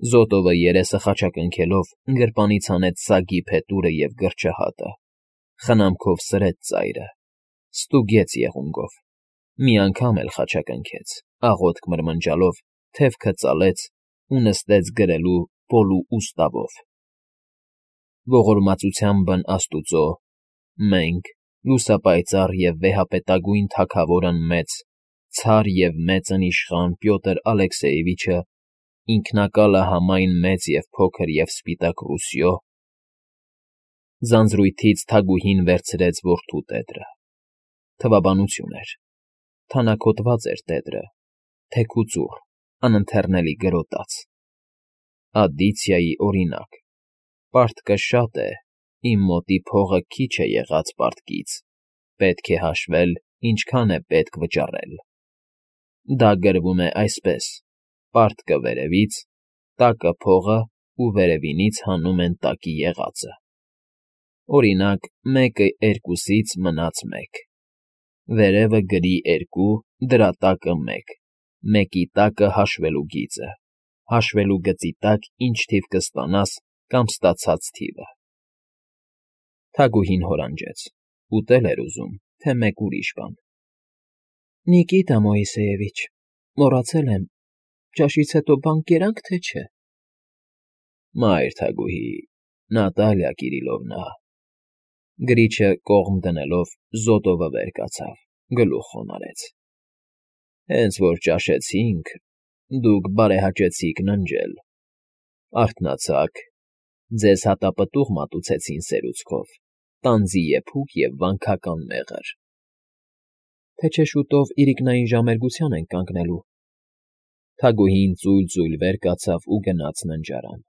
Զոտովը երեսը խաչակնքելով գրպանից հանեց սագի փետուրը և գրչահատը, խնամքով սրեց ծայրը, ստուգեց եղունգով, մի անգամ էլ խաչակնքեց, աղոթք մրմնջալով թևքը ծալեց ու նստեց գրելու պոլու ուստավով. Ողորմածության բն Աստուծո, մենք, լուսապայծառ և վեհապետագույն թագավորն մեծ, ցար և մեծն իշխան Պյոտր Ալեքսեևիչը, ինքնակալը համայն մեծ և փոքր և սպիտակ Ռուսիո… Ձանձրույթից թագուհին վերցրեց որդու տետրը. թվաբանություն էր, թանաքոտված էր տետրը, թեքուծուռ, անընթեռնելի գրոտած, ադիցիայի օրինակ. պարտքը շատ է, իմ մոտի փողը քիչ է եղած պարտքից, պետք է հաշվել, ինչքան է պետք վճարել. դա գրվում է այսպես. պարտքը վերևից, տակը փողը ու վերևինից հանում են տակի եղածը. օրինակ, 1/2-ից մնաց 1, վերևը գրի 2, դրա տակը 1, 1-ի տակը հաշվելու գիծը, հաշվելու գծի տակ ինչ թիվ կստանաս կամ ստացած թիվը… Թագուհին հորանջեց, ուտել էր ուզում, թե մեկ ուրիշ բան։ ֊ Նիկիտա Մոիսեևիչ, մոռացել եմ, ճաշից հետո բան կերա՞նք, թե չէ… ֊ Մայր թագուհի, Նատալիա Կիրիլովնա… Գրիչը կողմ դնելով՝ Զոտովը վեր կացավ, գլուխ խոնարհեց. Հենց որ ճաշեցինք, դուք բարեհաճեցիք ննջել, արթնացաք, ձեզ հատապտուղ մատուցեցին սերուցքով, տանձի եփուկ և վանքական մեղր… ֊ Թե չէ շուտով իրիկնային ժամերգության ենք կանգնելու… Թագուհին ծույլ֊ծույլ վեր կացավ ու գնաց ննջարան.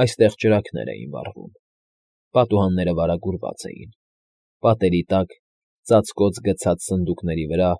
այստեղ ճրագներ էին վառվում, պատուհանները վարագուրված էին, պատերի տակ, ծածկոց գցած սնդուկների վրա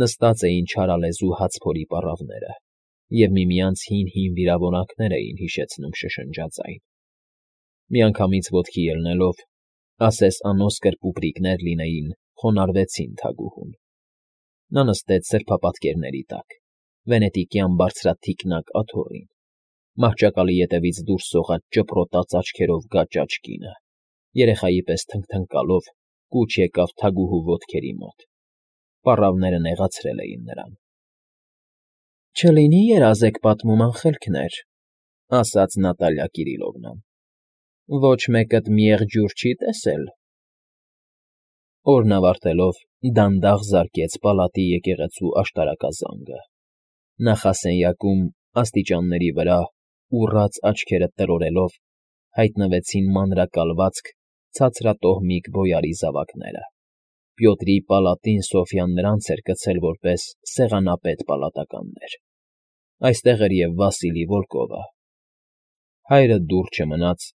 նստած էին չարալեզու հացփորի պառավները և միմյանց հին վիրավորանքներ էին հիշեցնում շշնջաձայն… Միանգամից ոտքի ելնելով, ասես անոսկր պուպրիկներ լինեին, խոնարհվեցին թագուհուն… Նա նստեց սրբապատկերների տակ, վենետիկյան բարձրաթիկնակ աթոռին, մահճակալի ետևից դուրս սողաց ճպրոտած աչքերով գաճաճ կինը, երեխայի պես թնգթնկալով կուչ եկավ թագուհու ոտքերի մոտ… Պառավները նեղացրել էին նրան։ ֊ Չլինի՞ երազեկ պատմում անխելքներ, ֊ ասաց Նատալիա Կիրիլովնան, ֊ ոչ մեկդ մի եղջյուր չի՞ տեսել… Օրն ավարտելով՝ դանդաղ զարկեց պալատի եկեղեցու աշտարակազանգը. նախասենյակում, աստիճանների վրա, ուռած աչքերը տրորելով, հայտնվեցին մանրակալվածք, ցածրատոհմիկ բոյարի զավակները… Պյոտրի պալատին Սոֆյան նրանց էր կցել որպես սեղանապետ պալատականներ… Այստեղ էր և Վասիլի Վոլկովը… Հայրը դուռ չմնաց,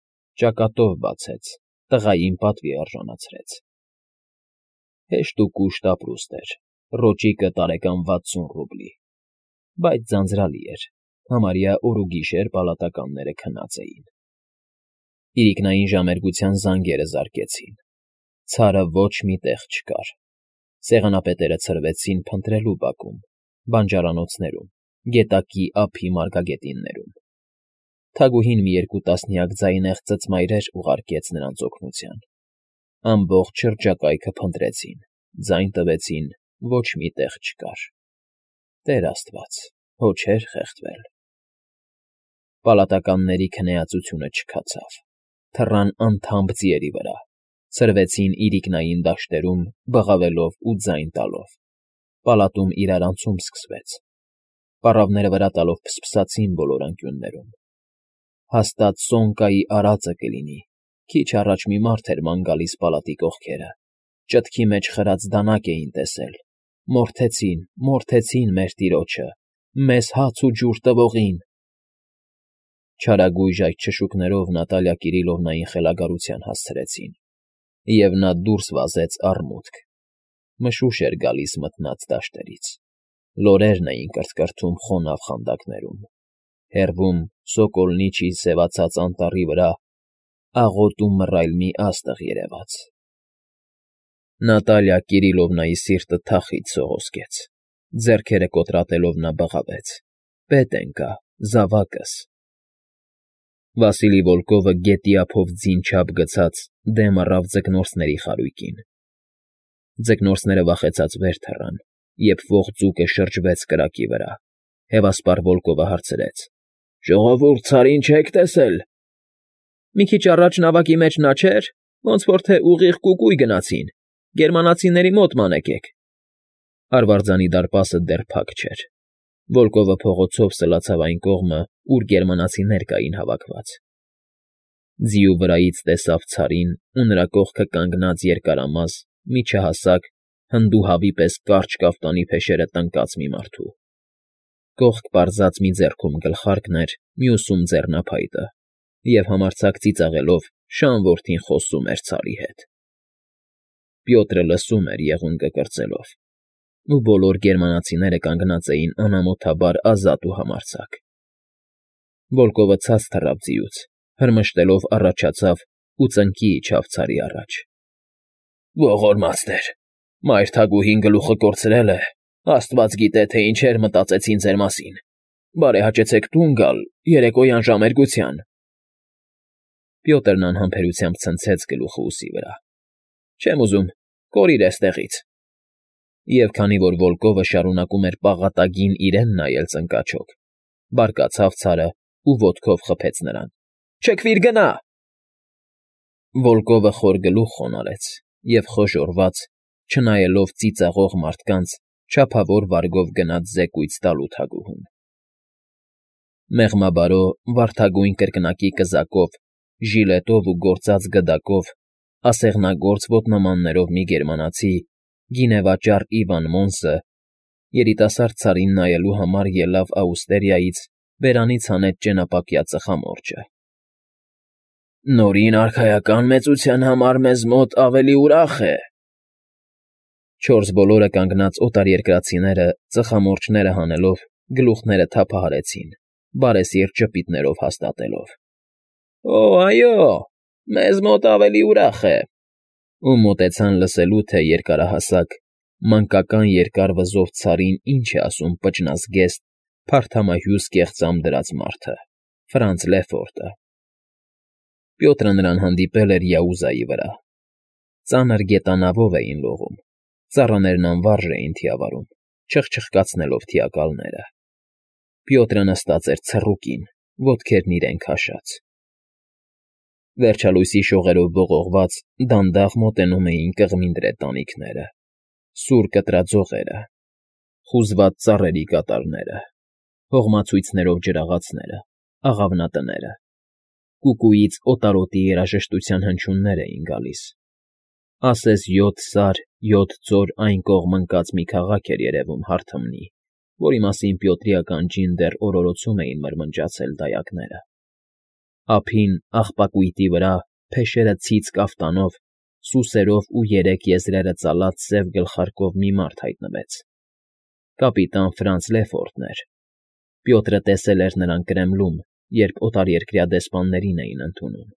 ճակատով բացեց, տղային պատվի արժանացրեց… Հեշտ ու կուշտ ապրուստ էր, ռոճիկը տարեկան 60 ռուբլի, բայց ձանձրալի էր, համարյա օր ու գիշեր պալատականները քնած էին… Իրիկնային ժամերգության զանգերը զարկեցին, ցարը ոչ մի տեղ չկար, սեղանապետերը ցրվեցին փնտրելու բակում, բանջարանոցներում, գետակի ափի մարգագետիններում… Թագուհին մի 2 տասնյակ ձայնեղ ծծմայրեր ուղարկեց նրանց օգնության… Ամբողջ շրջակայքը փնտրեցին, ձայն տվեցին, ոչ մի տեղ չկար… Տեր աստված, հո չէր խեղդվել… Պալատականների քնեածությունը չքացավ, թռան անթամբ ձիերի վրա, ցրվեցին իրիկնային դաշտերում, բղավելով ու ձայն տալով… Պալատում իրարանցում սկսվեց… Պառավները վրա տալով փսփսացին բոլոր անկյուններում… Հաստատ Սոնկայի արածը կլինի, քիչ առաջ մի մարդ էր ման գալիս պալատի կողքերը, ճտքի մեջ խրած դանակ էին տեսել, մորթեցին մեր տիրոջը, մեզ հաց ու ջուր տվողին… Չարագույժ այդ շշուկներով Նատալիա Կիրիլովնային խելագարության հասցրեցին, և նա դուրս վազեց առմուտք… Մշուշ էր գալիս մթնած դաշտերից, լորերն էին կրթկրթում խոնավ խանդակներում, հեռվում, Սոկոլնիչի սևացած անտառի վրա աղոտ ու մռայլ մի աստղ երևաց… Նատալիա Կիրիլովնայի սիրտը թախիծ սողոսկեց, ձեռքերը կոտրատելով նա բղավեց. ֊ Պետք ընկա, զավակս, Վասիլի Վոլկովը գետի ափով ձին չափ գցած դեմ առավ ձկնորսների խարույկին։ Ձկնորսները վախեցած վեր թռան, երբ ողջ ձուկը շրջվեց կրակի վրա, հևասպար Վոլկովը հարցրեց. «Ժողովուրդ, Ցարին չեք տեսել»։ «Մի քիչ առաջ նավակի մեջ նա չէր, ոնց որ թե ուղիղ կուկույ գնացին, գերմանացիների մոտ մանեկեք»։ Արվարձանի դարպասը դեռ փակ չէր։ Վոլկովը փողոցով սլացավ այն կողմը, ուր գերմանացիներ կային հավաքված։ Ձիու վրայից տեսավ Ցարին ու նրա կողքը կանգնած երկարամաս, միջահասակ, հնդուհավի պես կարճ կաֆտանի փեշերը տնկած մի մարդու։ Կողք պարզած մի ձեռքում գլխարկն էր, մյուսում ձեռնափայտը, և համարձակ ծիծաղելով շան որդին խոսում էր Ցարի հետ։ Պյոտրը լսում էր եղունգը կրծելով, ու բոլոր գերմանացիները կանգնած էին անամոթաբար ազատ ու համարձակ։ Վոլկովը ցած թռավ ձիուց, հրմշտելով առաջացավ ու ծնկի իջավ Ցարի առաջ։ «Ողորմածներ, մայր թագուհին գլուխը կորցրել է, աստված գիտե, թե ինչեր մտածեցին ձեր մասին։ Բարեհաճեցեք տուն գալ երեկոյան ժամերգության»։ Պյոտրն անհամբերությամբ ցնցեց գլուխը ուսի վրա։ «Չեմ ուզում, կորիր էստեղից»։ Եվ քանի որ Վոլկովը շարունակում էր պաղատագին իրեն նայել ծնկաչոք, բարկացավ Ցարը ու ոտքով խփեց նրան։ «Չքվիր, գնա»։ Վոլկովը խոր գլուխ խոնարհեց և խոժոռված, չնայելով ծիծաղող մարդկանց, չափավոր վարգով գնաց զեկույց տալու թագուհուն։ Մեղմաբարո, վարդագույն կրկնակի կզակով, ժիլետով ու գործած գդակով, ասեղնագործ ոտնամաններով մի գերմանացի, գինեվաճառ Իվան Մոնսը, երիտասարդ Ցարին նայելու համար ելավ աուստերիայից, բերանից հանեց ճենապակյա ծխամորճը։ «Նորին արքայական մեծության համար մեզ մոտ ավելի ուրախ է»։ Չորս բոլորը կանգնած օտարերկրացիները ծխամորճները հանելով գլուխները թափահարեցին, բարեսիրտ ժպիտներով հաստատելով. «Օ, այո, մեզ մոտ ավելի ուրախ է»։ Ու մոտեցան լսելու, թե երկարահասակ, մանկական երկար վզով Ցարին ինչ է ասում պճնազգեստ, փարթամահյուս կեղծամ դրած մարդը՝ Ֆրանց Լեֆորտը։ Պյոտրը նրան հանդիպել էր Յաուզայի վրա։ Ծանր գետանավով էին լողում, ծառաներն անվարժ էին թիավարում, չխչխկացնելով թիակալները։ Պյոտրը նստած էր ցռուկին, ոտքերն իրեն քաշած։ Վերջալույսի շողերով ողողված դանդաղ մոտենում էին կղմինդրե տանիքները, սուր կտրածողերը, խուզված ծառերի կատարները, հողմացույցներով ջրաղացները, աղավնատները։ Կուկուից օտարոտի երաժշտության հնչյուններ էին գալիս։ Ասես 7 սար, 7 ձոր այն կողմ ընկած մի քաղաք էր երևում հարթմնի, որի մասին Պյոտրի ականջին դեռ օրորոցում էին մրմնջացել դայակները։ Ափին, աղբակույտի վրա, փեշերը ցից կաֆտանով, սուսերով ու երեք եզրերը ծալած սև գլխարկով մի մարդ հայտնվեց։ Կապիտան Ֆրանց Լեֆորտն էր։ Պյոտրը տեսել էր նրան Կրեմլում, երբ օտարերկրյա դեսպաններին էին ընդունում։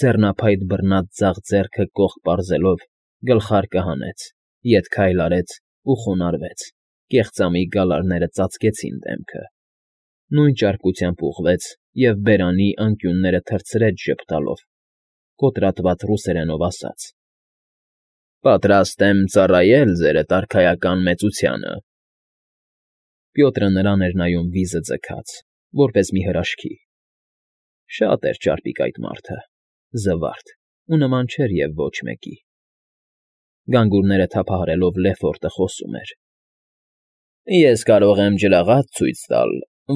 Ձեռնափայտ բռնած ձախ ձեռքը կողք պարզելով, գլխարկը հանեց, ետ քայլ արեց ու խոնարհվեց, կեղծամի գալարները ծածկեցին դեմքը։ Նույն ճարպկությամբ ուղղվեց և բերանի անկյունները թռցրեց ժպտալով, կոտրատված ռուսերենով ասաց. «Պատրաստ եմ ծառայել ձերդ արքայական մեծությանը»։ Պյոտրը նրան էր նայում վիզը ձգած, որպես մի հրաշքի։ Շատ էր ճարպիկ այդ մարդը, զվարթ, ու նման չէր և ոչ մեկի։ Գանգուրները թափահարելով Լեֆորտը խոսում էր. «Ես կարող եմ ջրաղաց ցույց տալ,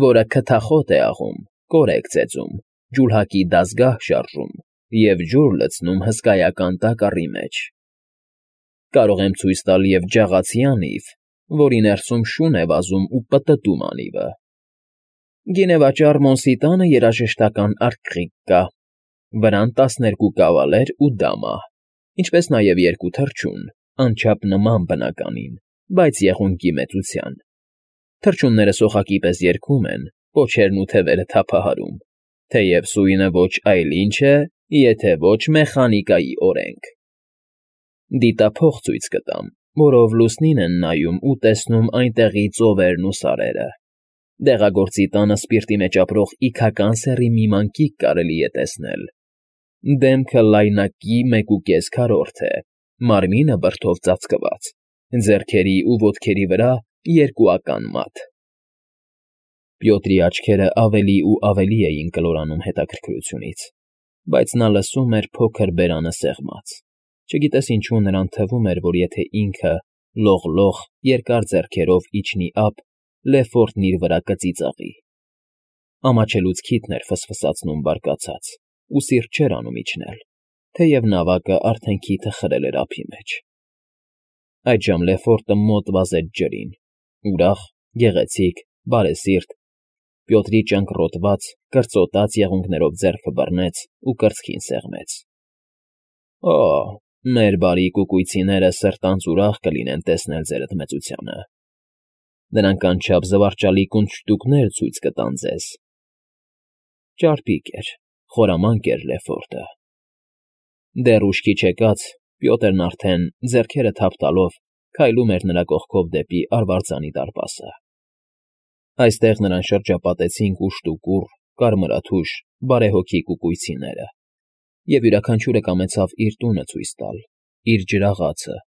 որը քթախոտ է աղում, կորեկ ծեծում, ջուլհակի դազգահ շարժում և ջուր լցնում հսկայական տակառի մեջ։ Կարող եմ ցույց տալ և ջաղացի անիվ, որի ներսում շուն է վազում ու պտտում անիվը։ Գինեվաճառ Մոնսի տանը երաժշտական արկղիկ կա, վրան 12 կավալեր ու դամա, ինչպես նաև 2 թռչուն, անչափ նման բնականին, բայց եղունգի մեծության։ Թռչունները սոխակի պես երգում են, պոչերն ու թևերը թափահարում, թեև սույնը ոչ այլ ինչ է, եթե ոչ մեխանիկայի օրենք։ Դիտափող ցույց կտամ, որով լուսնին են նայում ու տեսնում այնտեղի ծովերն ու սարերը։ Դեղագործի տանը սպիրտի մեջ ապրող իգական սեռի մի մանկիկ կարելի է տեսնել. դեմքը լայնակի 1.5 է, մարմինը բրդով ծածկված, ձեռքերի ու ոտքերի վրա երկուական մատ։ Պյոտրի աչքերը ավելի ու ավելի էին կլորանում հետաքրքրությունից, բայց նա լսում էր փոքր բերանը սեղմած, չգիտես ինչու նրան թվում էր, որ եթե ինքը լող-լող երկար ձեռքերով իջնի ափ, Լեֆորտն իր վրա կծիծաղի։ Ամաչելուց քիթն էր ֆսֆսացնում բարկացած, ու սիրտ չէր անում իջնել, թեև նավակը արդեն քիթը խրել էր ափի մեջ։ Այդժամ Լեֆորտը մոտ վազեց ջրին, ուրախ, գեղեցիկ, բարեսիրտ, Պյոտրի ճանկռոտված, կրծոտած եղունգներով ձեռքը բռնեց ու կրծքին սեղմեց։ Օ, մեր բարի կուկույցիները սրտանց ուրախ կլինեն տեսնել ձեր ընդմեծությանը։ Նրանք անչափ զվարճալի կունճտուկներ ցույց կտան ձեզ։ Ճարպիկ էր, խորամանկ էր Լեֆորտը։ Դեռ ուշքի չեկած Պյոտրն արդեն, ձեռքերը թափ տալով, քայլում էր նրա կողքով դեպի արվարձանի դարպասը։ Այստեղ նրան շրջապատեցին կուշտուկուռ, կարմրաթուշ, բարեհոգի կուկույցիները, և յուրաքանչյուրը կամեցավ իր տունը ցույց տալ, իր ջրաղացը,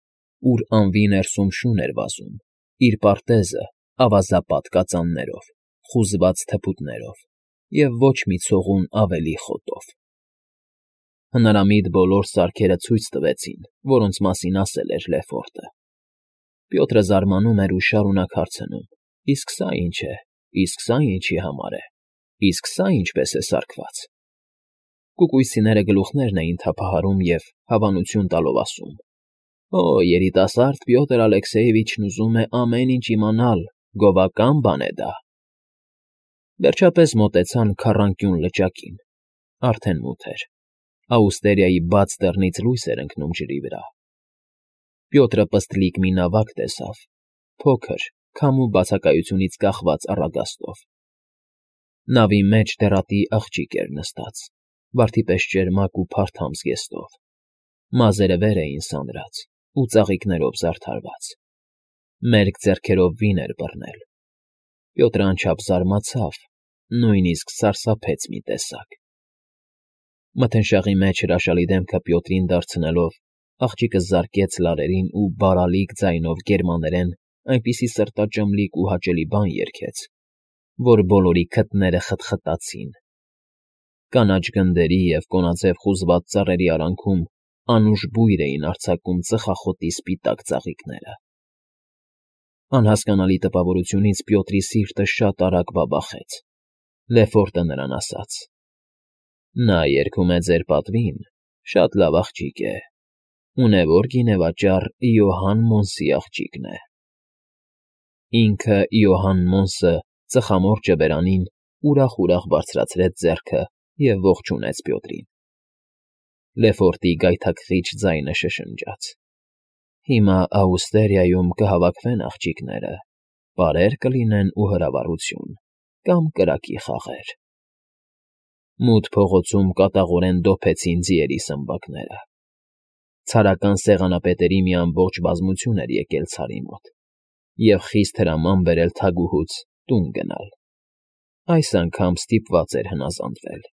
ուր անվի ներսում շուն էր վազում, իր պարտեզը ավազապատ կածաններով, խուզված թփուտներով և ոչ մի ցողուն ավելի խոտով։ Հնարամիտ բոլոր սարքերը ցույց տվեցին, որոնց մասին ասել էր Լեֆորտը։ Պյոտրը զարմանում էր ու շարունակ հարցնում. Իսկ սա ինչ է, իսկ սա ինչի համար է, իսկ սա ինչպես է սարքված։ Կուկույցիները գլուխներն էին թափահարում և հավանություն տալով ասում. Օ, երիտասարդ Պյոտր Ալեքսեյևիչն ուզում է ամեն ինչ իմանալ, գովական բան է դա։ Վերջապես մոտեցան քառանկյուն լճակին, արդեն մութ էր, աուստերիայի բաց դռնից լույս էր ընկնում ջրի վրա։ Պյոտրը պստլիկ մի նավակ տեսավ, փոքր, քամու բացակայությունից կախված առագաստով։ Նավի մեջ դեռատի աղջիկ էր նստած, վարդի պես ճերմակ ու փարթամ զգեստով, մազերը վեր էին սանրած ու ծաղիկներով զարդարված, մերկ ձեռքերով վին էր բռնել։ Պյոտրը անչափ զարմացավ, նույնիսկ սարսափեց մի տեսակ։ Մթնշաղի մեջ հրաշալի դեմքը Պյոտրին դարձնելով, աղջիկը զարկեց լարերին ու բարալիկ ձայնով գերմաներեն այնպիսի սրտաճմլիկ ու հաճելի բան երգեց, որ բոլորի քթները խտխտացին։ Կանաչ գնդերի և կոնաձև խուզված ծառերի արանքում անուշ բույր էին արձակում ծխախոտի սպիտակ ծաղիկները։ Անհասկանալի տպավորությունից Պյոտրի սիրտը շատ արագ բաբախեց։ Լեֆորտը նրան ասաց. Նա երգում է ձեր պատվին, շատ լավ աղջիկ է, ունևոր գինեվաճառ Իոհան Մոնսի աղջիկն է։ Ինքը Իոհան Մոնսը ծխամորճը բերանին ուրախ բարձրացրեց ձեռքը և ողջունեց Պյոտրին։ Լեֆորտի գայթակղիչ ձայնը շշնջաց. Հիմա Աուստերիայում կհավաքվեն աղջիկները, պարեր կլինեն ու հրավառություն, կամ կրակի խաղեր։ Մութ փողոցում կատաղորեն դոփեցին ձիերի սմբակները։ Ցարական սեղանապետերի մի ամբողջ բազմություն էր եկել Ցարի մոտ և խիստ հրաման բերել թագուհուց տուն գնալ։ Այս անգամ ստիպված էր հնազանդվել։